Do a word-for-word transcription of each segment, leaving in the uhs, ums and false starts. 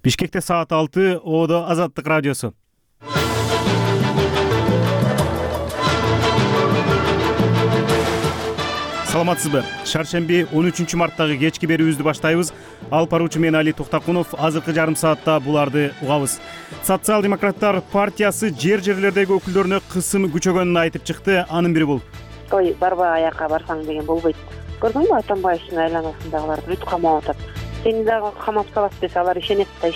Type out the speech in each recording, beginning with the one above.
Бишкекте саат алты, Оодо Азаттык радиосу. Саламатсызбы? Шаршемби он үчүнчү марттагы кечки берүүбүздү баштайбыз. Алып баруучу мен Али Токтакунов. Азыркы жарым саатта буларды угабыз. Социал-демократтар партиясы жер-жерлердеги өкүлдөрүнө кысым күчөгөнүн айтып чыкты. Анын бири бул. Той барба аякка барсаң деген болбойт. Көрдүңбү Атамбаевдин айланасындагылар бүт камап атат. Сени дагы камап салат десе алар ишенет да.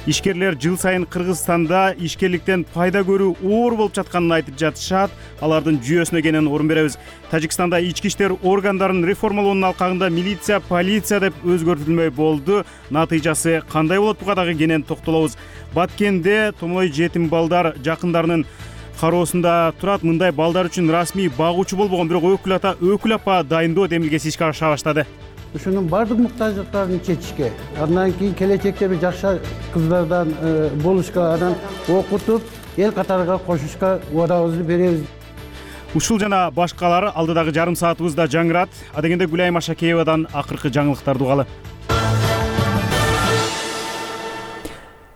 Ишкерлер жыл сайын Кыргызстанда ишкерликтен пайда көрүү оор болуп жатканын айтып жатышат. Алардын жүйөсүнө кенен орун беребиз. Тажикстанда ички иштер органдарын реформалоонун алкагында милиция, полиция деп өзгөртүлмөй болду. Натыйжасы кандай болот, буга дагы кенен токтолобуз. Баткенде томой жетим балдар жакындарынын кароосунда турат. Мындай балдар үчүн расмий багуучу болбогон, бирок өкүл ата, өкүл апа дайындоо демилгеси ишке аша баштады. Ушунун бардык муктаждыктарын чечишке, андан кийин келечекте бир жакшы кыздардан болушка, анан окутуп, эл катарга кошушка убадабызды беребиз. Ушул жана башкалар алдыдагы жарым саатыбызда жаңырат. Адегенде Гүлайым Ашакеевадан акыркы жаңылыктарды угалы.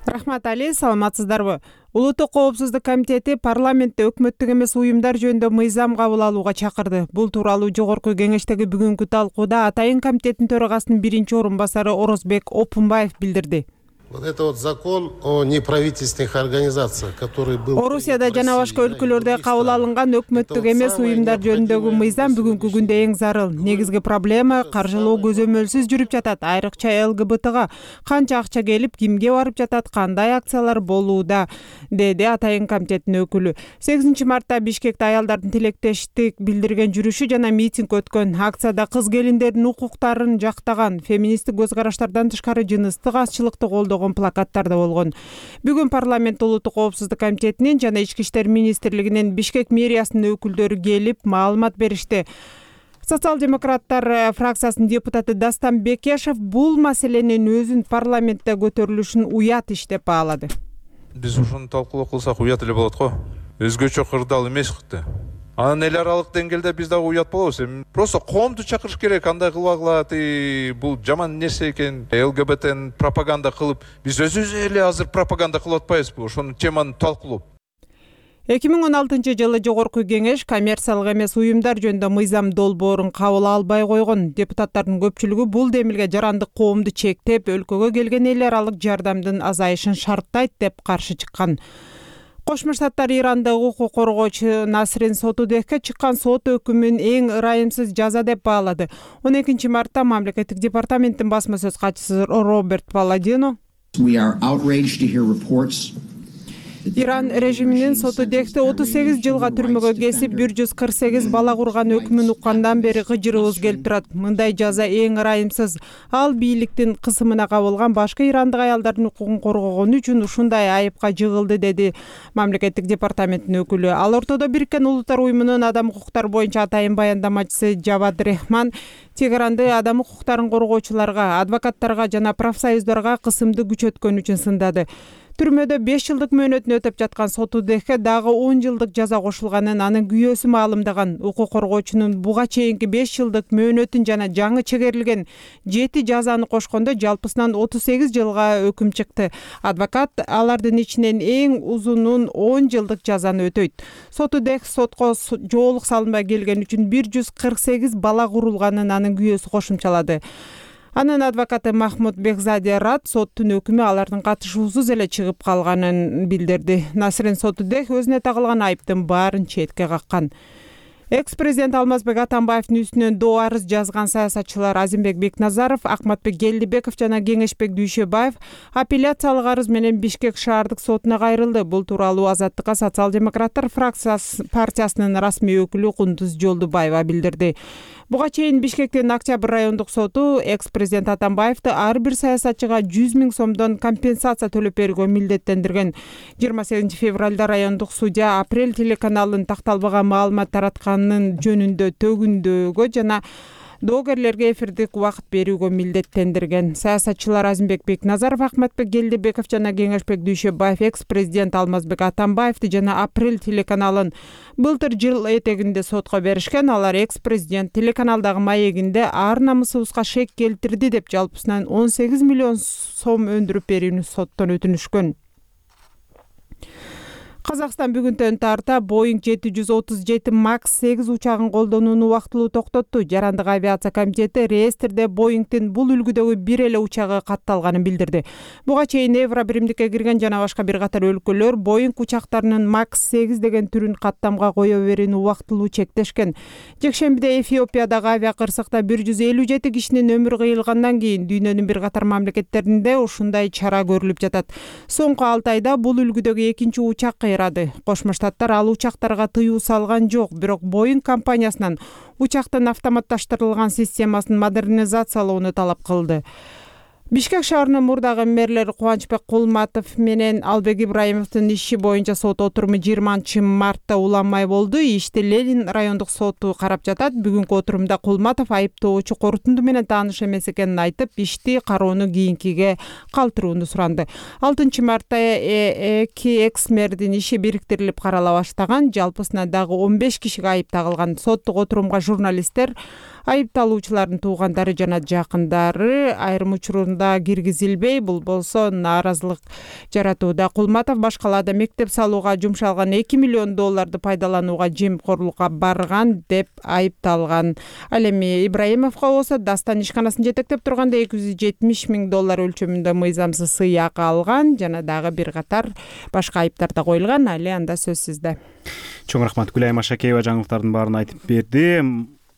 Рахмат Али, саламатсыздарбы? Улуттук коопсуздук комитети парламентте өкмөттүк эмес уюмдар жөнүндө мыйзам кабыл алууга чакырды. Бул тууралуу жогорку кеңештеги бүгүнкү талкууда Атайын комитеттин төрагасынын биринчи орун басары Орозбек Опунбаев билдирди. Вот это вот закон о неправительственных организациях, который был... Орусияда жана башка өлкөлөрдө кабыл алынган өкмөттүк эмес уюмдар жөнүндөгү мыйзам бүгүнкү күндө эң зарыл. Негизги проблема каржылоо көзөмөлсүз жүрүп жатат. Айрыкча эл гэ бэ тэга канча акча келип, кимге барып жатат, кандай акциялар болууда, деди Атайын комитеттин өкүлү. сегизинчи мартта Бишкекте аялдардын тилектештик билдирген жүрүшү жана митинг өткөн. Акцияда кыз келиндердин укуктарын жактаган, феминисттик көз караштардан тышкары жыныстык азчылыкты колдогон плакаттар да болгон. Бүгүн парламент улуттук коопсуздук комитетинин жана ички иштер министрлигинин Бишкек мэриясынын өкүлдөрү келип маалымат беришти. Социал-демократтар фракциясынын депутаты Дастан Бекешев бул маселенин өзүн парламентте көтөрүлүшүн уят иш деп баалады. Биз ушуну талкуулоо кылсак уят эле болот го. Өзгөчө кырдаал эмес кытты. Анан эл аралык деңгээлде биз дагы уят болобуз. Просто коомду чакырыш керек, андай кылбагыла, бул жаман нерсе экен. эл гэ бэ тэни пропаганда кылып, биз өзүбүз эле азыр пропаганда кылып атпайбызбы? Ошону теманы талкуулоп. эки миң он алтынчы жылы жогорку кеңеш коммерциялык эмес уюмдар жөнүндө мыйзам долбоорун кабыл албай койгон. Депутаттардын көпчүлүгү бул демилге жарандык коомду чектеп, өлкөгө келген эл аралык жардамдын азайышын шарттайт деп каршы чыккан. Кошмо Штаттар Ирандагы укук коргоочу Насрин Сотудехке чыккан сот өкүмүн эң ырайымсыз жаза деп баалады. он экинчи мартта мамлекеттик департаменттин басма сөз катчысы Роберт Паладино Иран режиминин Сотудехти отуз сегиз жылга түрмөгө кесип бир жүз кырк сегиз бала курган өкүмүн уккандан бери кыжырыбыз келип турат. Мындай жаза эң ырайымсыз. Ал бийликтин кысымына кабылган башка ирандык аялдардын укугун коргогону үчүн ушундай айыпка жыгылды, деди мамлекеттик департаменттин өкүлү. Ал ортодо Бириккен Улуттар уюмунун адам укуктары боюнча атайын баяндамачысы Жавад Рехман Тегеранды адам укуктарын коргоочуларга, адвокаттарга жана профсоюздарга кысымды күчөткөн үчүн сындады. Түрмөдө беш жылдык мөөнөтүн өтөп жаткан Сотудехке дагы он жылдык жаза кошулганын анын күйөөсү маалымдаган. Укук коргоочунун буга чейинки беш жылдык мөөнөтүн жана жаңы чегерилген жети жазаны кошкондо жалпысынан отуз сегиз жылга өкүм чыкты. Адвокат алардын ичинен эң узунун он жылдык жазаны өтөйт. Сотудех сотко жоолук салынбай келген үчүн бир жүз кырк сегиз бала курулганын анын күйөөсү кошумчалады. Анын адвокаты Махмуд Бекзаде Рат соттун өкүмү алардын катышуусуз эле чыгып калганын билдирди. Насрин Сотудех өзүнө тагылган айыптын баарын четке каккан. Экс-президент Алмазбек Атамбаевдин үстүнөн доо арыз жазган саясатчылар Азимбек Бекназаров, Акматбек Келдибеков жана Кеңешбек Дүйшөбаев апелляциялык арыз менен Бишкек шаардык сотуна кайрылды. Бул тууралуу Азаттыкка социал-демократтар фракциясы партиясынын расмий өкүлү Кундуз Жолдубаева билдирди. Буга чейин Бишкектин Октябрь райондук соту экс-президент Атамбаевди ар бир саясатчыга жүз миң сомдон компенсация төлөп берүүгө милдеттендирген. жыйырма сегизинчи февралда райондук судья Апрель телеканалынын такталбаган маалымат таратканын жөнүндө төгүндөгө жана доогерлерге эфирдик убакыт берүүгө милдеттендирген. Саясатчылар Азимбек Бекназаров, Ахматбек Келдибеков жана Кеңешбек Дүйшөбаев экс-президент Алмазбек Атамбаевди жана Апрель телеканалын былтыр жыл этегинде сотко беришкен. Алар экс-президент телеканалдагы маегинде ар намысыбызга шек келтирди деп жалпысынан он сегиз миллион сом өндүрүп берүүнү соттон өтүнүшкөн. Казакстан бүгүнтөн тарта Боeing жети жүз отуз жети макс сегиз учагын колдонууну убактылуу токтотту. Жарандык авиация комитети реестрде Боeingдин бул үлгүдөгү бир эле учагы катталганын билдирди. Буга чейин Евро биримдикке кирген жана башка бир катар өлкөлөр Boeing учактарынын макс сегиз деген түрүн каттамга кое берүүнү убактылуу чектешкен. Жекшембиде Эфиопиядагы авиакырсыкта бир жүз элүү жети кишинин өмүрү кыйылгандан кийин дүйнөнүн бир катар мамлекеттеринде ушундай чара көрүлүп жатат. Соңку алты айда бул үлгүдөгү экинчи учак Кошмо Штаттар ал учактарга тыюу салган жок, бирок Boeing компаниясынан учактын автоматташтырылган системасын модернизациялоону талап кылды. Бишкек шаарынын мурдагы мэрлери Кубанычбек Кулматов менен Албек Ибраимовдун иши боюнча сот отуруму жыйырманчы мартта уланмай болду. Ишти Ленин райондук соту карап жатат. Бүгүнкү отурумда Кулматов айыптоочу корутунду менен тааныш эмес экенин айтып, ишти кароону кийинкиге калтырууну суранды. алтынчы мартта эки экс-мэрдин иши бириктирилип карала баштаган. Жалпысынан дагы он беш кишиге айып тагылган. Соттук отурумга журналисттер, айыпталуучулардын туугандары жана жакындары айрым учурунда киргизилбей, бул болсо нааразылык жаратууда. Кулматов башкалаада мектеп салууга жумшалган эки миллион долларды пайдаланууга жемкорлукка барган деп айыпталган. Ал эми Ибраимовго болсо Дастан ишканасын жетектеп турганда эки жүз жетимиш миң доллар өлчөмүндө мыйзамсыз сыйакы алган жана дагы бир катар башка айыптар да коюлган. Али анда сөз сизде. Чоң рахмат. Гүлайым Ашакеева жаңылыктардын баарын айтып берди.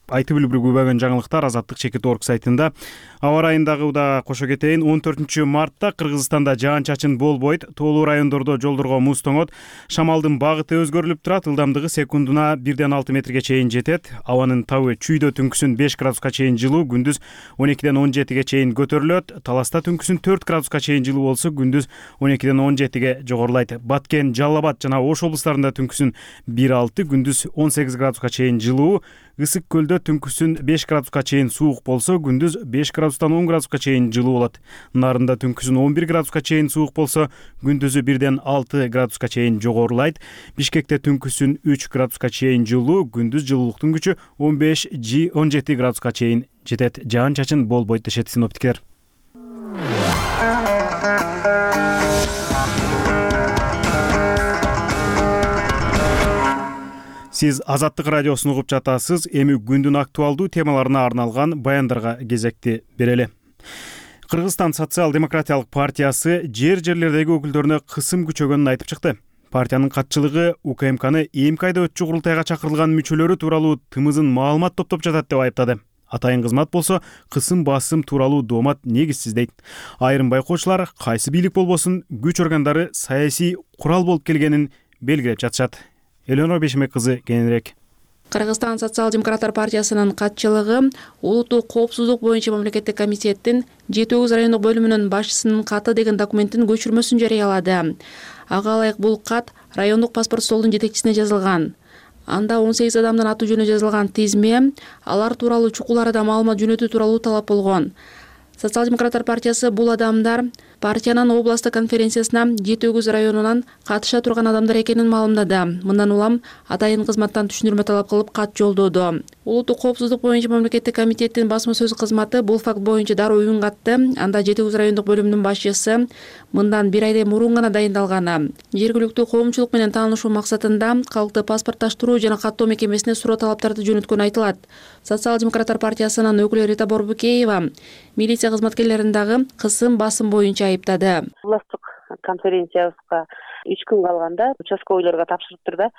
Айтып билүү күбөгөн жаңылыктар Азаттык чекит орг сайтында. Аба ырайындагы да кошо кетейин. он төртүнчү мартта Кыргызстанда жаан-чачын болбойт. Тоолуу райондордо жолдорго муз тоңот. Шамалдын багыты өзгөрүлүп турат. Ылдамдыгы секундуна бирден алты метрге чейин жетет. Абанын табы чүйдө түнкүсүн беш градуска чейин жылуу, күндүз он экиден он жетиге чейин көтөрүлөт. Таласта түнкүсүн төрт градуска чейин жылуу болсо, күндүз он экиден он жетиге жогорулайт. Баткен, Жалал Абад жана Ош облустарында түнкүсүн бир алты, күндүз он сегиз градуска чейин жылуу. Ысык көлдө түнкүсүн беш градуска чейин суук болсо, күндүз беш градустан он градуска чейин жылуу болот. Нарында түнкүсүн он бир градуска чейин суук болсо, күндүзү бирден алты градуска чейин жогорулайт. Бишкекте түнкүсүн үч градуска чейин жылуу, күндүз жылуулуктун күчү он беш он жети градуска чейин жетет. Жаан-чачын болбойт дешет синоптиктер. Сиз Азаттык радиосун угуп жатасыз. Эми күндүн актуалдуу темаларына арналган баяндарга кезекти берели. Кыргызстан социал-демократиялык партиясы жер жерлердеги өкүлдөрүнө кысым күчөгөнүн айтып чыкты. Партиянын катчылыгы УКМКны эми айда өтчү курултайга чакырылган мүчөлөрү тууралуу тымызын маалымат топтоп жатат деп айыптады. Атайын кызмат болсо кысым басым тууралуу доомат негизсиз дейт. Айрым байкоочулар кайсы бийлик болбосун күч органдары саясий курал болуп келгенин белгилеп жатышат. Элеонора Бешемек кызы кененирээк. Кыргызстан социал-демократтар партиясынын катчылыгы улуттук коопсуздук боюнча мамлекеттик комитеттин жети өгүз райондук бөлүмүнүн башчысынын каты деген документтин көчүрмөсүн жарыялады. Ага ылайык бул кат райондук паспорт столдун жетекчисине жазылган. Анда он сегиз адамдын аты жөнү жазылган тизме, алар тууралуу чукул арада маалымат жөнөтүү тууралуу талап болгон. Социал-демократтар партиясы бул адамдар партиянын областтык конференциясына жети өгүз районунан катыша турган адамдар экенин маалымдады. Мындан улам атайын кызматтан түшүндүрмө талап кылып кат жолдоду. Улуттук коопсуздук боюнча мамлекеттик комитеттин басма сөз кызматы бул факт боюнча дароо үн катты. Анда жети өгүз райондук бөлүмүнүн башчысы мындан бир айдан мурун гана дайындалган. Жергиликтүү коомчулук менен таанышуу максатында калкты паспортташтыруу жана каттоо мекемесине суроо талаптарды жөнөткөнү айтылат. Социал-демократтар партиясынын өкүлү Рита Борбукеева милиция кызматкерлерин дагы кысым басым боюнча айыптады. Областтык конференциябызга үч күн калганда участковыйларга тапшырыптыр да,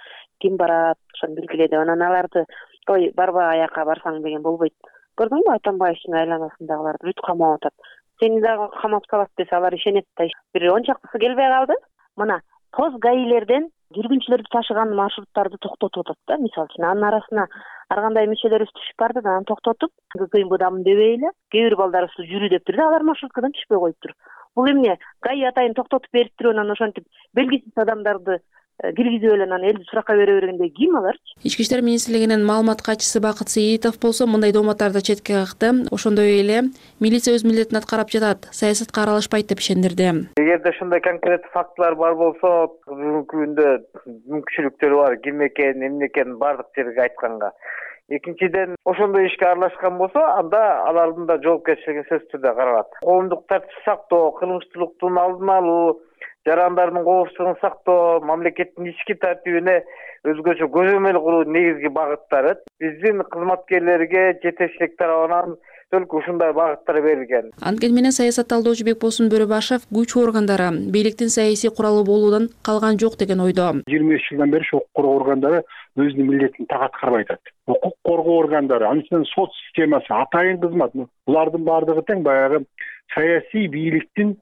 ким барат, ошону белгиледи. Анан аларды ой барба аяка барсаң деген болбойт. Көрдүңбү, Атамбаевдин айланасындагыларды бүт камап атат. Сени дагы камап салат десе алар ишенет да. Бир он чактысы келбей калды. Мына тоз гаилерден жүргүнчүлөрдү ташыган маршруттарды токтотуп атат да, мисалы үчүн. Анын арасына ар кандай мүчөлөрүбүз түшүп барды да, аны токтотуп, кыйын будам дебей эле, кээ бир балдарыбызды жүрү дептир да, алар маршруткадан түшпөй коюптур. Бул эмне? ГАИ атайын токтотуп бериптир, анан ошентип белгисиз адамдарды киргизип эле анан элди суракка бере бергенде ким аларчы? Ички иштер министрлигинин маалымат катчысы Бакыт Сейитов болсо мындай дооматтарды четке какты. Ошондой эле милиция өз милдетин аткарып жатат, саясатка аралашпайт деп ишендирди. Эгерде ушундай конкреттүү фактылар бар болсо, бүгүнкү күндө мүмкүнчүлүктөр бар, ким экен, эмне экен бардык жерге айтканга. Экинчиден, ошондой ишке аралашкан болсо, анда алардын да жоопкерчилиги сөзсүз түрдө каралат. Коомдук тартипти сактоо, кылмыштуулуктун алдын алуу, жарандардын коопсуздугун сактоо, мамлекеттин ички тартибине өзгөчө көзөмөл кылуу негизги багыттары. Биздин кызматкерлерге жетекчилик тарабынан только ушундай багыттар берилген. Анткени менен саясат талдоочу Бекболсун Бөрөбашев күч органдары бийликтин саясий куралы болуудан калган жок деген ойдо. жыйырма беш жылдан бери укук коргоо органдары өзүнүн милдетин так аткарбай атат. Укук коргоо органдары, анын сот системасы, атайын кызмат, булардын баардыгы тең баягы саясий бийликтин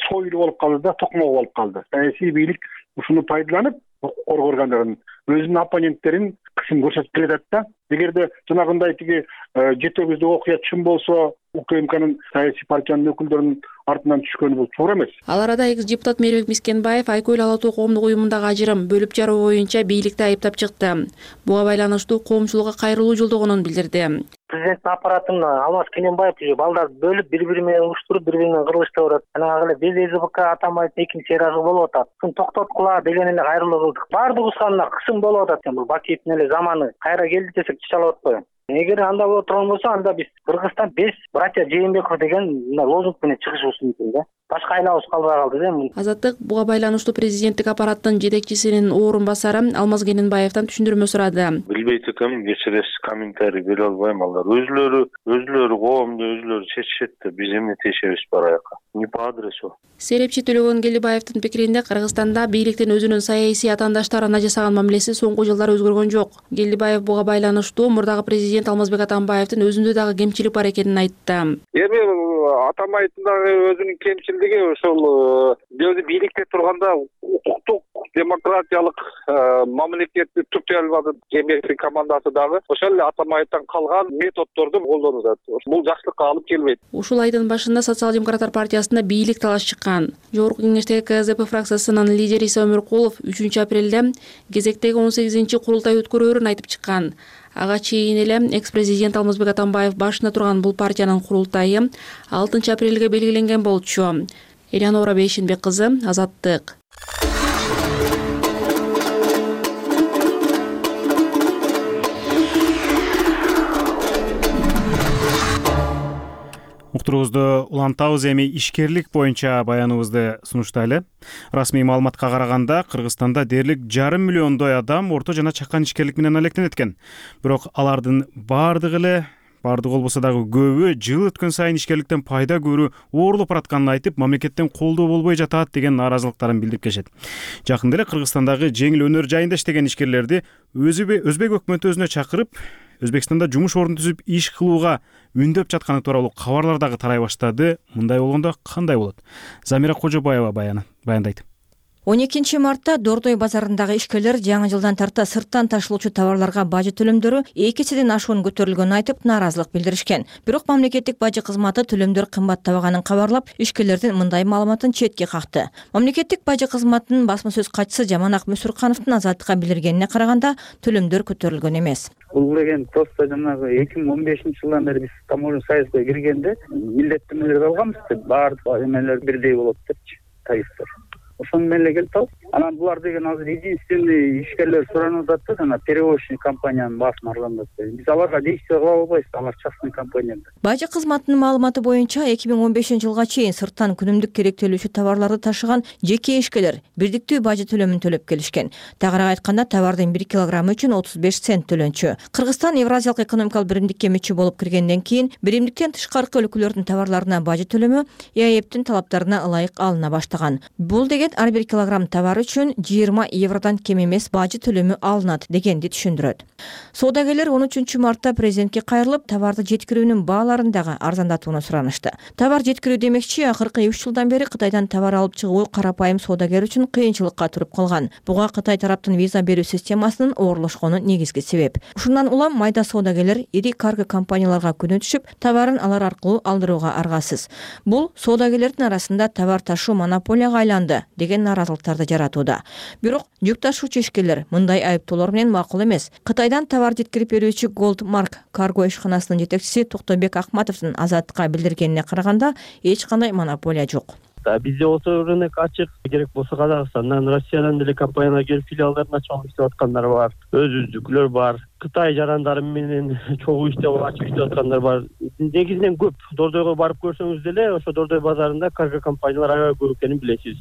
сойлу болуп калды да, токмогу болуп калды. Саясий бийлик ушуну пайдаланып, укук коргоо органдарын өзүнүн оппоненттерин кысым көрсөтүп келатат да. Эгерде жанагындай тиги жетегибизде окуя чын болсо, УКМКнын саясий партиянын өкүлдөрүнүн артынан түшкөнү бул туура эмес. Ал арада экс депутат Мээрбек Мискенбаев Айкөл ала тоо коомдук уюмундагы ажырым бөлүп жаруу боюнча бийликти айыптап чыкты. Буга байланыштуу коомчулукка кайрылуу жолдогонун билдирди. Президенттин аппаратын Алмаз Кененбаев балдар бөлүп бири-бири менен уруштуруп, бири-бири менен кыргызча барат. Анан эле биз ЭЗБК атамайт экинчи ыраазы болуп атат. Ушуну токтоткула деген эле кайрылуу кылдык. Баардыгыбызга мына кысым болуп атат. Бул Бакиевдин эле заманы кайра келди десек чычалап атпайбы? Эгер анда боло турган болсо, анда биз Кыргызстан беш братья Жээнбеков деген лозунг менен чыгышыбыз мүмкүн да. Башка айлабыз калбай калды да. Азаттык буга байланыштуу президенттик аппараттын жетекчисинин орун басары Алмаз Кененбаевден түшүндүрмө сурады. Билбейт экенмин, кечиресиз, комментарий бере албайм. Алар өзүлөрү, өзүлөрү коомду өзүлөрү чечишет да, биз эмне тиешебиз бараяка. Не по адресу. Серепчи Төлөгөн Келдибаевдин пикиринде Кыргызстанда бийликтин өзүнүн саясий атаандаштарына жасаган мамилеси соңку жылдары өзгөргөн жок. Келдибаев буга байланыштуу мурдагы президент Алмазбек Атамбаевдин өзүндө дагы кемчилик бар экенин айтты. Эми Атамбаевдин дагы өзүнүн кемчилиги ошол өзү бийликте турганда укуктук, демократиялык мамлекетти тутай албады. Жээнбековдун командасы дагы ошол эле Атамбаевден калган методдорду колдонуп атат. Бул жакшылыкка алып келбейт. Ушул айдын башында социал-демократтар партиясында бийлик талаш чыккан. Жогорку кеңештеги КЗП фракциясынын лидери Иса Өмүркулов үчүнчү апрелде кезектеги он сегизинчи курултай өткөрөөрүн айтып чыккан. Ага чейин эле экс-президент Алмазбек Атамбаев башында турган бул партиянын курултайы алтынчы апрелге белгиленген болчу. Элянора Бейшенбек кызы, Азаттык. Уктуруубузду улантабыз. Эми ишкерлик боюнча баяныбызды сунуштайлы. Расмий маалыматка караганда Кыргызстанда дээрлик жарым миллиондой адам орто жана чакан ишкерлик менен алектенет экен. Бирок алардын баардыгы эле баардыгы болбосо дагы көбү жыл өткөн сайын ишкерликтен пайда көрүү оорлоп баратканын айтып, мамлекеттен колдоо болбой жатат деген нааразылыктарын билдирип келишет. Жакында эле Кыргызстандагы жеңил өнөр жайында иштеген ишкерлерди өзбек өкмөтү өзүнө чакырып, Өзбекстанда жумуш орун түзүп иш кылууга үндөп жатканы тууралуу кабарлар дагы тарай баштады. Мындай болгондо кандай болот? Замира Кожобаева баяны баяндайт. он экинчи мартта Дордой базарындагы ишкерлер жаңы жылдан тарта сырттан ташылуучу товарларга бажы төлөмдөрү эки эседен ашуун көтөрүлгөнүн айтып нааразылык билдиришкен. Бирок мамлекеттик бажы кызматы төлөмдөр кымбаттабаганын кабарлап, ишкерлердин мындай маалыматын четке какты. Мамлекеттик бажы кызматынын басма сөз катчысы Жаманак Мүсүркановдун Азаттыкка билдиргенине караганда, төлөмдөр көтөрүлгөн эмес. Бул деген просто жанагы эки миң он бешинчи жылдан бери биз таможня союзга киргенде милдеттенмелерди алганбыз деп, баардык эмелер бирдей болот депчи, тарифтер. Ошону менен эле келип калып, анан булар деген азыр единственный ишкерлер суранып атат да, жана перевозчик компаниянын баасын арзандап. Биз аларга действие кыла албайбыз, алар частный компания. Бажы кызматынын маалыматы боюнча эки миң он бешинчи жылга чейин сырттан күнүмдүк керектелүүчү товарларды ташыган жеке ишкерлер бирдиктүү бажы төлөмүн төлөп келишкен. Тагыраак айтканда, товардын бир килограммы үчүн отуз беш цент төлөнчү. Кыргызстан Евразиялык экономикалык биримдикке мүчө болуп киргенден кийин биримдиктен тышкаркы өлкөлөрдүн товарларына бажы төлөмү ЭАЭптин талаптарына ылайык алына баштаган. Бул деген ар бир килограмм товар үчүн жыйырма евродон кем эмес бажы төлөмү алынат дегенди түшүндүрөт. Соодагерлер он үчүнчү мартта президентке кайрылып, товарды жеткирүүнүн бааларын дагы арзандатууну суранышты. Товар жеткирүү демекчи, акыркы үч жылдан бери Кытайдан товар алып чыгуу карапайым соодагер үчүн кыйынчылыкка туруп калган. Буга Кытай тараптын виза берүү системасынын оорлошкону негизги себеп. Ушундан улам майда соодагерлер ири карго компанияларга күнөө түшүп, товарын алар аркылуу алдырууга аргасыз. Бул соодагерлердин арасында товар ташуу монополияга айланды деген нааразылыктарды жаратууда. Бирок жүк ташуучу ишкерлер мындай айыптоолор менен макул эмес. Кытайдан товар жеткирип берүүчү Goldmark карго ишканасынын жетекчиси Токтобек Акматовдун Азаттыкка билдиргенине караганда эч кандай монополия жок. Бизде осы рынок ачык, керек болсо Казакстандан, Россиядан деле компаниялар келип филиалдарын ачып алып иштеп аткандар бар. Өзүздүкүлөр бар. Кытай жарандары менен чогуу иштеп ачып иштеп аткандар бар. Негизинен көп. Дордойго барып көрсөңүз деле, ошо Дордой базарында карго компаниялар аябай көп экенин билесиз.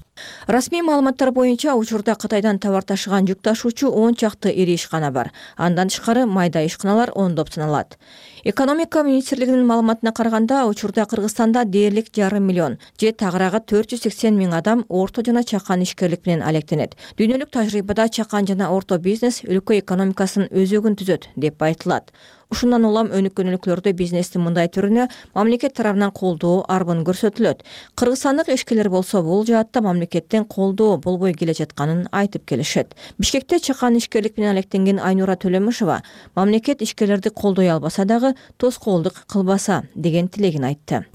Расмий маалыматтар боюнча учурда Кытайдан товар ташыган жүк ташуучу он чакты ири ишкана бар. Андан тышкары майда ишканалар ондоп саналат. Экономика министрлигинин маалыматына караганда, учурда Кыргызстанда дээрлик жарым миллион же тагыраагы төрт жүз сексен миң адам орто жана чакан ишкерлик менен алектенет. Дүйнөлүк тажрыйбада чакан жана орто бизнес өлкө экономикасынын өзөгүн түзөт деп айтылат. Ушундан улам өнүккөн өлкөлөрдө бизнестин мындай түрүнө мамлекет тарабынан колдоо арбын көрсөтүлөт. Кыргызстандык ишкерлер болсо бул жаатта мамлекеттен колдоо болбой келе жатканын айтып келишет. Бишкекте чакан ишкерлик менен алектенген Айнура Төлөмүшова мамлекет ишкерлерди колдой албаса дагы тоскоолдук кылбаса деген тилегин айтты.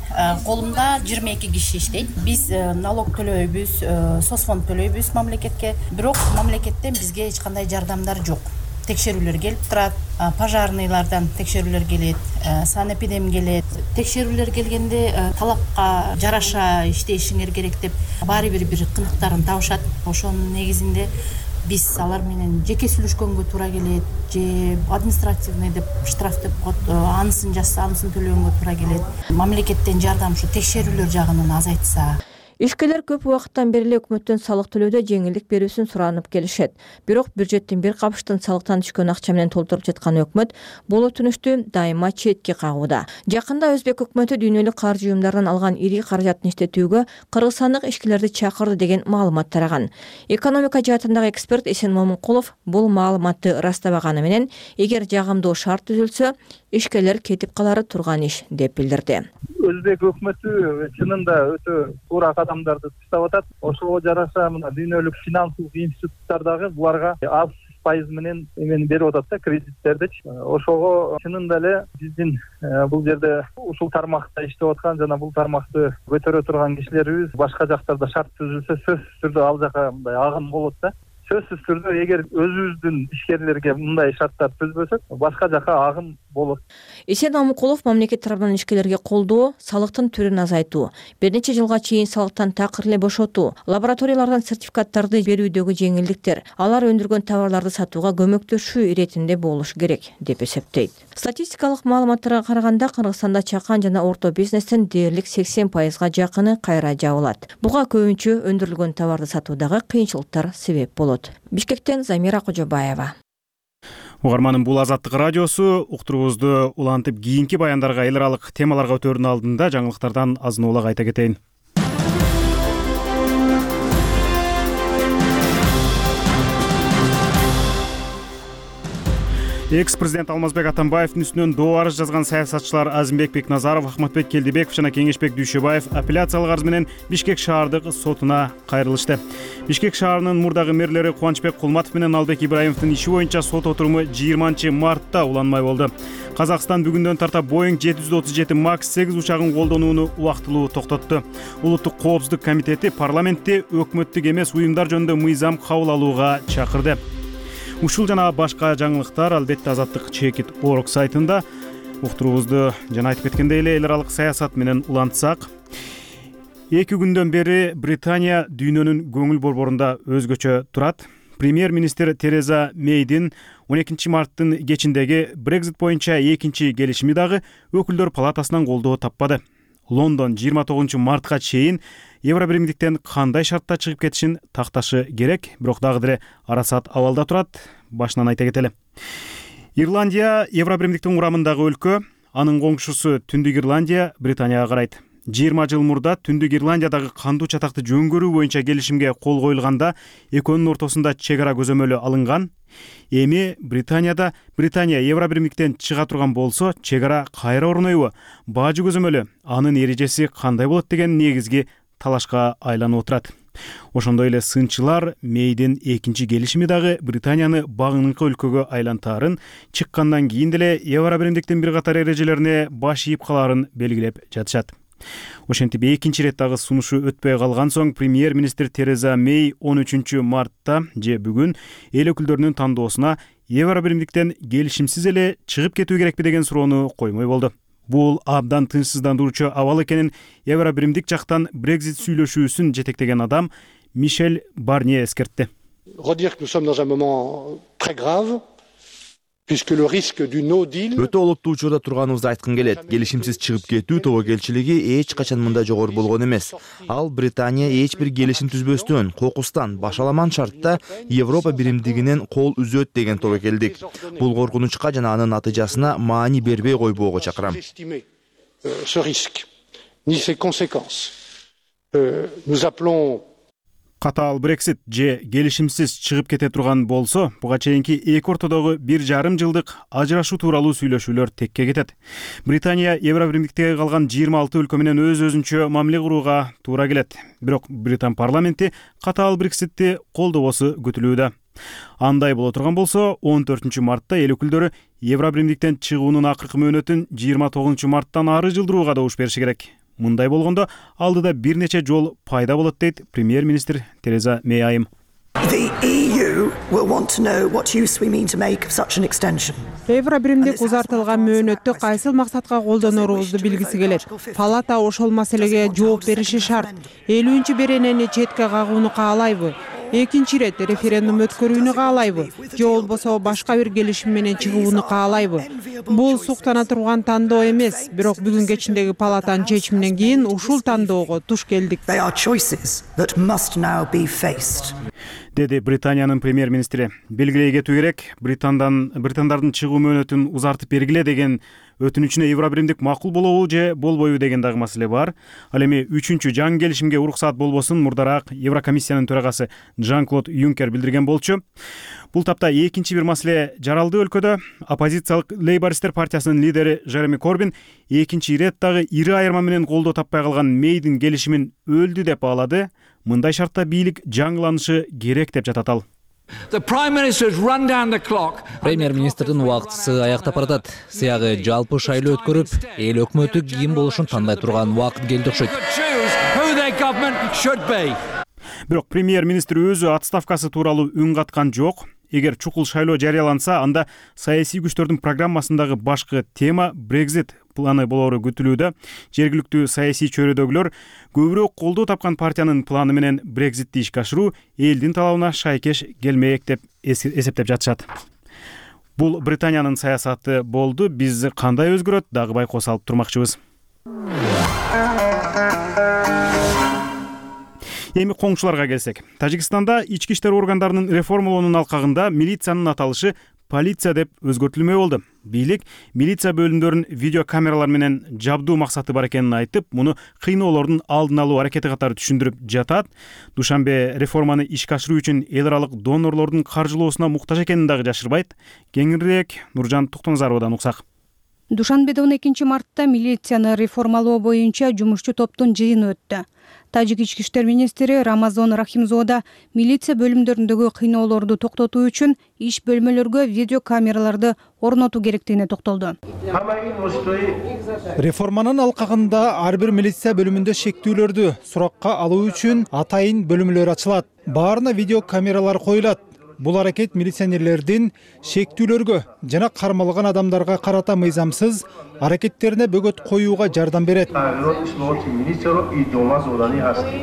Колумда жыйырма эки киши иштейт. Биз налог төлөйбүз, соцфонд төлөйбүз мамлекетке. Бирок мамлекеттен бизге эч кандай жардамдар жок. Текшерүүлөр келип турат, пожарныйлардан текшерүүлөр келет, санэпидем келет. Текшерүүлөр келгенде талапка жараша иштешиңер керек деп баары бир бир кыныктарын табышат. Ошонун негизинде биз алар менен жеке сүйлөшкөнгө туура келет, же административный деп штраф деп коет, анысын жазса, анысын төлөгөнгө туура келет. Мамлекеттен жардам ушу текшерүүлөр жагынан азайтса. Ишкерлер көп убакыттан бери эле өкмөттөн салык төлөөдө жеңилдик берүүсүн суранып келишет. Бирок бюджеттин бир капыштын салыктан түшкөн акча менен толтуруп жаткан өкмөт бул өтүнүштү дайыма четке кагууда. Жакында өзбек өкмөтү дүйнөлүк каржы уюмдарынан алган ири каражатын иштетүүгө кыргызстандык ишкерлерди чакырды деген маалымат тараган. Экономика жаатындагы эксперт Эсен Момункулов бул маалыматты ырастабаганы менен, эгер жагымдуу шарт түзүлсө, ишкерлер кетип калары турган иш деп билдирди. Өзбек өкмөтү чынында өтө туура кадамдарды таштап атат. Ошого жараша мына дүйнөлүк финансылык институттар дагы буларга аз пайыз менен эмени берип атат да, кредиттердичи. Ошого чынында эле биздин бул жерде ушул тармакта иштеп аткан жана бул тармакты көтөрө турган кишилерибиз башка жактарда шарт түзүлсө сөзсүз түрдө ал жака мындай агым болот да. Сөзсүз түрдө эгер өзүбүздүн ишкерлерге мындай шарттар түзбөсөк, башка жака агым болот. Эсен Момункулов мамлекет тарабынан ишкерлерге колдоо, салыктын түрүн азайтуу, бир нече жылга чейин салыктан такыр эле бошотуу, лабораториялардан сертификаттарды берүүдөгү жеңилдиктер, алар өндүргөн товарларды сатууга көмөктөшүү иретинде болуш керек деп эсептейт. Статистикалык маалыматтарга караганда, Кыргызстанда чакан жана орто бизнестин дээрлик сексен пайызга жакыны кайра жабылат. Буга көбүнчө өндүрүлгөн товарды сатуудагы кыйынчылыктар себеп болот. Бишкектен Замира Кожобаева. Угарманын бул Азаттык радиосу. Уктуруубузду улантып кийинки баяндарга эл аралык темаларга өтөөрдүн алдында жаңылыктардан азын улак айта кетейин. Экс-президент Алмазбек Атамбаевдин үстүнөн доо арыз жазган саясатчылар Азимбек Бекназаров, Ахматбек Келдибеков жана Кеңешбек Дүйшөбаев апелляциялык арыз менен Бишкек шаардык сотуна кайрылышты. Бишкек шаарынын мурдагы мэрлери Кубанычбек Кулматов менен Албек Ибраимовдун иши боюнча сот отуруму жыйырманчы мартта уланмай болду. Казакстан бүгүндөн тарта Boeing жети жүз отуз жети макс сегиз учагын колдонууну убактылуу токтотту. Улуттук коопсуздук комитети парламентти өкмөттүк эмес уюмдар жөнүндө мыйзам кабыл алууга чакырды. Ушул жана башка жаңылыктар албетте Азаттык чекит орг сайтында. Уктуруубузду жана айтып кеткендей эле эл аралык саясат менен улантсак, эки күндөн бери Британия дүйнөнүн көңүл борборунда өзгөчө турат. Премьер-министр Тереза Мейдин он экинчи марттын кечиндеги Brexit боюнча экинчи келишими дагы өкүлдөр палатасынан колдоо таппады. Лондон жыйырма тогузунчу мартка чейин Евробиримдиктен кандай шартта чыгып кетишин такташы керек, бирок дагы деле арасат абалда турат. Башынан айта кетели. Ирландия Евробиримдиктин курамындагы өлкө, анын коңшусу Түндүк Ирландия Британияга карайт. жыйырма жыл мурда Түндүк Ирландиядагы кандуу чатакты жөн көрүү боюнча келишимге кол коюлганда экөөнүн ортосунда чек ара көзөмөлү алынган. Эми Британияда Британия Евробиримдиктен чыга турган болсо, чек ара кайра орнойбу? Бажы көзөмөлү, анын эрежеси кандай болот деген негизги талашка айланып отурат. Ошондой эле сынчылар Мейдин экинчи келишими дагы Британияны багыныңкы өлкөгө айлантаарын, чыккандан кийин деле Евробиримдиктин бир катар эрежелерине баш ийип калаарын белгилеп жатышат. Ошентип экинчи ирет дагы сунушу өтпөй калган соң премьер-министр Тереза Мэй он үчүнчү мартта же бүгүн эл өкүлдөрүнүн тандоосуна евро биримдиктен келишимсиз эле чыгып кетүү керекпи деген суроону коймой болду. Бул абдан тынчсыздандыруучу абал экенин евро биримдик жактан Брекзит сүйлөшүүсүн жетектеген адам Мишель Барнье эскертти. Redire que nous sommes dans un moment très grave. Өтө олуттуу учурда турганыбызды айткым келет. Келишимсиз чыгып кетүү тобокелчилиги эч качан мындай жогору болгон эмес. Ал Британия эч бир келишим түзбөстөн, кокустан, башаламан шартта Европа биримдигинен кол үзөт деген тобокелдик. Бул коркунучка жана анын натыйжасына маани бербей койбоого чакырам. Ce risque, ni ses conséquences. Nous appelons Катаал Брексит же келишимсиз чыгып кете турган болсо, буга чейинки эки ортодогу бир жарым жылдык ажырашуу тууралуу сүйлөшүүлөр текке кетет. Британия евро биримдиктеги калган жыйырма алты өлкө менен өз-өзүнчө мамиле курууга туура келет. Бирок Британ парламенти катаал Брекситти колдобосу күтүлүүдө. Андай боло турган болсо, он төртүнчү мартта эл өкүлдөрү евро биримдиктен чыгуунун акыркы мөөнөтүн жыйырма тогузунчу марттан ары жылдырууга добуш бериши керек. Мындай болгондо алдыда бир нече жол пайда болот дейт премьер-министр Тереза Мэй айым. Евро биримдик узартылган мөөнөттү кайсыл максатка колдонорубузду билгиси келет. Палата ошол маселеге жооп бериши шарт. элүүнчү беренени четке кагууну каалайбы? Экинчи ирет референдум өткөрүүнү каалайбы? Же болбосо башка бир келишим менен чыгууну каалайбы? Бул суктана турган тандоо эмес, бирок бүгүн кечиндеги палатанын чечиминен кийин ушул тандоого туш келдик. Деди Британиянын премьер-министри. Белгилей кетүү керек, Британдан британдардын чыгуу мөөнөтүн узартып бергиле деген өтүнүчүнө евро биримдик макул болобу же болбойбу деген дагы маселе бар. Ал эми үчүнчү жаңы келишимге уруксаат болбосун мурдараак Еврокомиссиянын төрагасы Жан-Клод Юнкер билдирген болчу. Бул тапта экинчи бир маселе жаралды өлкөдө. Оппозициялык Лейбористер партиясынын лидери Жереми Корбин экинчи ирет дагы ири айырма менен колдоо таппай калган Мэйдин келишимин өлдү деп баалады. Мындай шартта бийлик жаңыланышы керек деп жатат ал. Премьер-министрдин убактысы аяктап баратат. Сыягы жалпы шайлоо өткөрүп, эл өкмөтү ким болушун тандай турган убакыт келди окшойт. Бирок премьер-министр өзү отставкасы тууралуу үн каткан жок. Эгер чукул шайлоо жарыяланса, анда саясий күчтөрдүн программасындагы башкы тема Брекзит планы болору күтүлүүдө. Жергиликтүү саясий чөйрөдөгүлөр көбүрөөк колдоо тапкан партиянын планы менен Брекзитти ишке ашыруу элдин талабына шайкеш келмек деп эсептеп жатышат. Бул Британиянын саясаты болду. Биз кандай өзгөрөт дагы байкоо салып турмакчыбыз. Эми коңшуларга келсек, Тажикстанда ички иштер органдарынын реформалоонун алкагында милициянын аталышы полиция деп өзгөртүлмөй болду. Бийлик милиция бөлүмдөрүн видеокамералар менен жабдуу максаты бар экенин айтып, муну кыйноолордун алдын алуу аракети катары түшүндүрүп жатат. Душанбе реформаны ишке ашыруу үчүн эл аралык донорлордун каржылоосуна муктаж экенин дагы жашырбайт. Кеңирээк Нуржан Токтоназаровадан уксак. Душанбеде он экинчи мартта милицияны реформалоо боюнча жумушчу топтун жыйыны өттү. Тажик ички иштер министри Рамазон Рахимзода милиция бөлүмдөрүндөгү кыйноолорду токтотуу үчүн иш бөлмөлөргө видеокамераларды орнотуу керектигине токтолду. Реформанын алкагында ар бир милиция бөлүмүндө шектүүлөрдү суракка алуу үчүн атайын бөлүмлөр ачылат. Баарына видеокамералар коюлат. Бул аракет милиционерлердин шектүүлөргө жана кармалган адамдарга карата мыйзамсыз аракеттерине бөгөт коюуга жардам берет.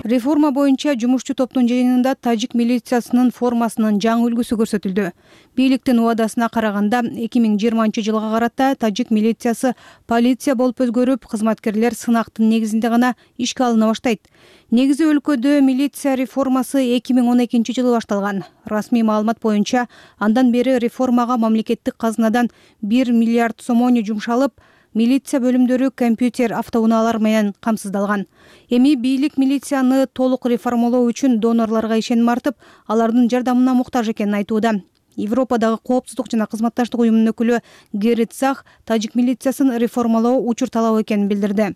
Реформа боюнча жумушчу топтун жыйынында тажик милициясынын формасынын жаңы үлгүсү көрсөтүлдү. Бийликтин убадасына караганда эки миң жыйырманчы жылга карата тажик милициясы полиция болуп өзгөрүп, кызматкерлер сынактын негизинде гана ишке алына баштайт. Негизи өлкөдө милиция реформасы эки миң он экинчи жылы башталган. Расмий маалымат боюнча андан бери реформага мамлекеттик казынадан бир миллиард сомону жумшалып, милиция бөлүмдөрү компьютер автоунаалар менен камсыздалган. Эми бийлик милицияны толук реформалоо үчүн донорлорго ишеним артып, алардын жардамына муктаж экенин айтууда. Европадагы коопсуздук жана кызматташтык уюмунун өкүлү Герит Сах тажик милициясын реформалоо учур талап экенин билдирди.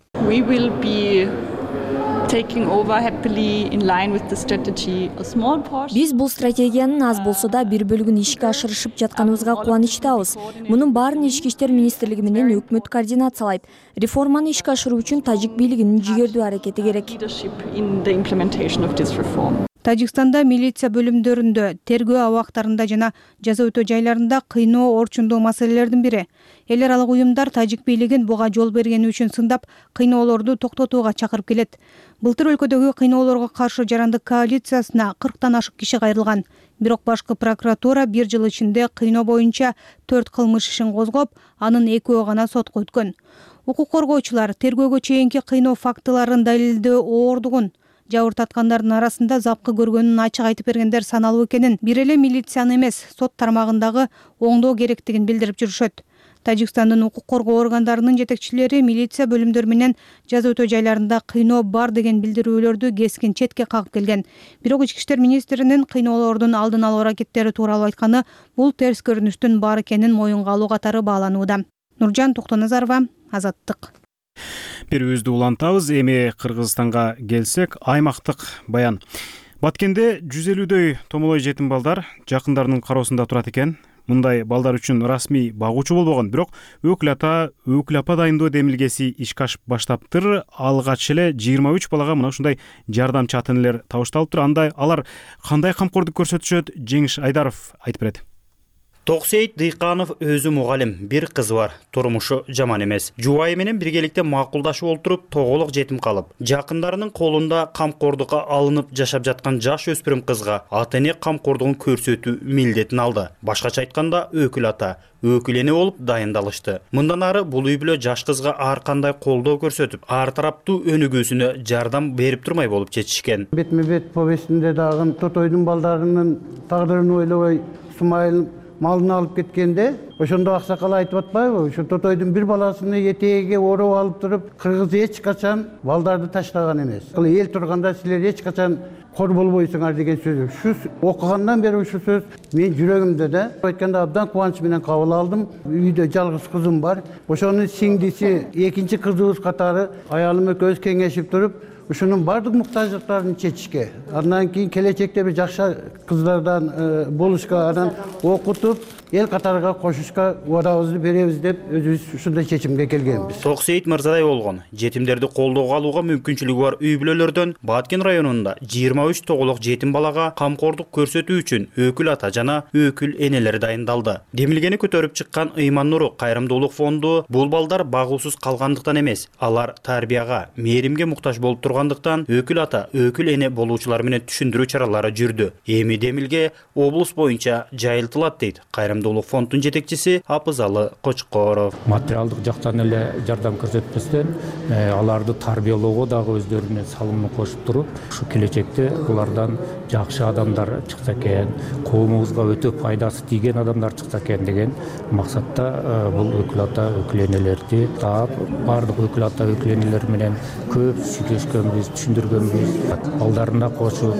Биз бул стратегиянын аз болсо да бир бөлүгүн ишке ашырышып жатканыбызга кубанычтабыз. Мунун баарын ички иштер министрлиги менен өкмөт координациялайт. Реформаны ишке ашыруу үчүн тажик бийлигинин жигердүү аракети керек. Тажикстанда милиция бөлүмдөрүндө, тергөө абактарында жана жаза өтөө жайларында кыйноо орчундуу маселелердин бири. Эл аралык уюмдар тажик бийлигин буга жол бергени үчүн сындап, кыйноолорду токтотууга чакырып келет. Былтыр өлкөдөгү кыйноолорго каршы жарандык коалициясына кырктан ашык киши кайрылган. Бирок башкы прокуратура бир жыл ичинде кыйноо боюнча төрт кылмыш ишин козгоп, анын экөө гана сотко өткөн. Укук коргоочулар тергөөгө чейинки кыйноо фактыларын далилдөө оордугун, жабыр тарткандардын арасында запкы көргөнүн ачык айтып бергендер саналуу экенин, бир эле милицияны эмес, сот тармагындагы оңдоо керектигин билдирип жүрүшөт. Тажикстандын укук коргоо органдарынын жетекчилери милиция бөлүмдөрү менен жаза өтөө жайларында кыйноо бар деген билдирүүлөрдү кескин четке кагып келген. Бирок ички иштер министринин кыйноолордун алдын алуу аракеттери тууралуу айтканы бул терс көрүнүштүн бар экенин моюнга алуу катары бааланууда. Нуржан Токтоназарова, Азаттык. Берүүбүздү улантабыз. Эми Кыргызстанга келсек, аймактык баян. Баткенде жүз элүүдөй томолой жетим балдар жакындарынын кароосунда турат экен. Мындай балдар үчүн расмий багуучу болбогон, бирок өкүл ата, өкүл апа дайындоо демилгеси ишке ашып баштаптыр. Алгач эле жыйырма үч балага мына ушундай жардамчы ата энелер табышталыптыр. Андай алар кандай камкордук көрсөтүшөт? Жеңиш Айдаров айтып берет. Токсейит Дыйканов өзү мугалим, бир кызы бар, турмушу жаман эмес. Жубайы менен биргеликте макулдашып олтуруп, тоголук жетим калып, жакындарынын колунда камкордукка алынып жашап жаткан жаш өспүрүм кызга ата эне камкордугун көрсөтүү милдетин алды. Башкача айтканда, өкүл ата, өкүл эне болуп дайындалышты. Мындан ары бул үй бүлө жаш кызга ар кандай колдоо көрсөтүп, ар тараптуу өнүгүүсүнө жардам берип турмай болуп чечишкен. Бетме бет повестинде дагы Тотойдун балдарынын тагдырын ойлобой Сумайыл малын алып кеткенде, ошондо аксакал айтып атпайбы? Ошо Тотойдун бир баласыны этегиге ороп алып туруп, кыргыз эч качан балдарды таштаган эмес. Эл турганда силер эч качан кор болбойсуңар деген сөз. Ушу окугандан бери ушу сөз мен жүрөгүмдө да. Айтканда абдан кубаныч менен кабыл алдым. Үйдө жалгыз кызым бар. Ошонун сиңдиси экинчи кызыбыз катары аялым экөөбүз кеңешип туруп, ушунун бардык муктаждыктарын чечишке, андан кийин келечекте бир жакшы кыздардан болушка, анан окутуп, эл катарга кошушка убадабызды беребиз деп өзүбүз ушундай чечимге келгенбиз. Токсейит Мырзадай болгон жетимдерди колдоого алууга мүмкүнчүлүгү бар үй бүлөлөрдөн Баткен районунда жыйырма үч тоголук жетим балага камкордук көрсөтүү үчүн өкүл ата жана өкүл энелер дайындалды. Демилгени көтөрүп чыккан Ыйман Нуру кайрымдуулук фонду бул балдар багуусуз калгандыктан эмес, алар тарбияга, мээримге муктаж болуп тургандыктан өкүл ата, өкүл эне болуучулар менен түшүндүрүү чаралары жүрдү. Эми демилге облус боюнча жайылтылат дейт кайрымдуулук фондунун жетекчиси Апызалы Кочкоров. Материалдык жактан эле жардам көрсөтпөстөн аларды тарбиялоого дагы өздөрүнүн салымын кошуп туруп, ушу келечекте булардан жакшы адамдар чыкса экен, коомубузга өтө пайдасы тийген адамдар чыкса экен деген максатта бул өкүл ата, өкүл энелерди таап, бардык өкүл ата, өкүл энелер менен көп сүйлөшкөнбүз, түшүндүргөнбүз. Балдарына кошуп,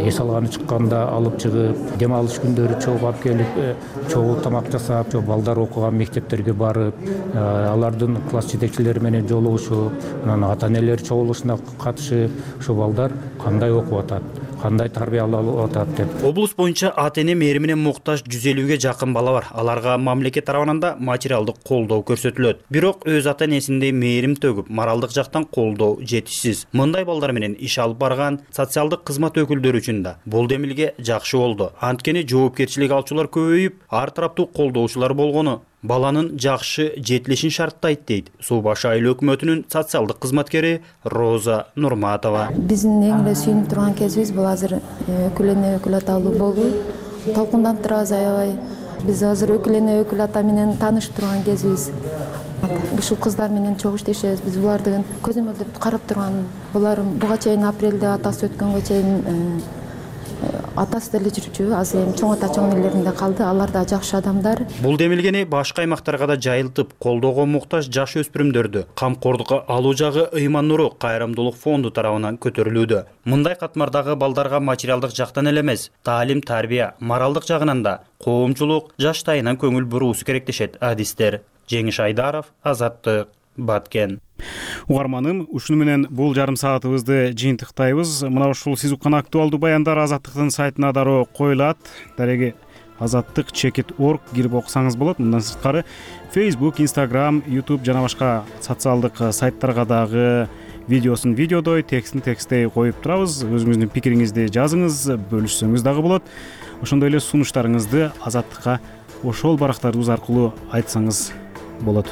эс алганы чыкканда алып чыгып, дем алыш күндөрү чогуу алып келип, чогуу тамак жасап, балдар окуган мектептерге барып, алардын класс жетекчилери менен жолугушуп, анан ата энелер чогулушуна катышып, ошо балдар кандай окуп атат, кандай тарбиялалып атат деп. Облус боюнча ата эне мээримине муктаж жүз элүүгө жакын бала бар. Аларга мамлекет тарабынан да материалдык колдоо көрсөтүлөт. Бирок өз ата энесиндей мээрим төгүп, моралдык жактан колдоо жетишсиз. Мындай балдар менен иш алып барган социалдык кызмат өкүлдөрү үчүн да бул демилге жакшы болду. Анткени жоопкерчилик алчулар көбөйүп, ар тараптуу колдоочулар болгону баланын жакшы жетилишин шарттайт дейт Суу Башы айыл өкмөтүнүн социалдык кызматкери Роза Нурматова. Биздин эң эле сүйүнүп турган кезибиз бул азыр өкүл эне, өкүл аталуу болуу. Толкунданып турабыз аябай. Биз азыр өкүл эне, өкүл ата менен таанышып турган кезибиз. Ушул кыздар менен чогуу иштешебиз. Биз буларды көзөмөлдөп карап турган. Булар буга чейин апрелде атасы өткөнгө чейин атасы деле жүрчү, азыр эми чоң ата чоң энелеринде калды. Алар да жакшы адамдар. Бул демилгени башка аймактарга да жайылтып, колдоого муктаж жаш өспүрүмдөрдү камкордукка алуу жагы Ыйман Нуру кайрымдуулук фонду тарабынан көтөрүлүүдө. Мындай катмардагы балдарга материалдык жактан эле эмес, таалим, тарбия, моралдык жагынан да коомчулук жаштайынан көңүл буруусу керек дешет адистер. Жеңиш Айдаров, Азаттык, Баткен. Угарманым, ушуну менен бул жарым саатыбызды жыйынтыктайбыз. Мына ушул сиз уккан актуалдуу баяндар Азаттыктын сайтына дароо коюлат. Дареги азаттык чекит точка орг кирип окусаңыз болот. Мындан сырткары Facebook, Instagram, YouTube жана башка социалдык сайттарга дагы видеосун видеодой, текстин текстей коюп турабыз. Өзүңүздүн пикириңизди жазыңыз, бөлүшсөңүз дагы болот. Ошондой эле сунуштарыңызды Азаттыкка ошол барактарыбыз аркылуу айтсаңыз болот.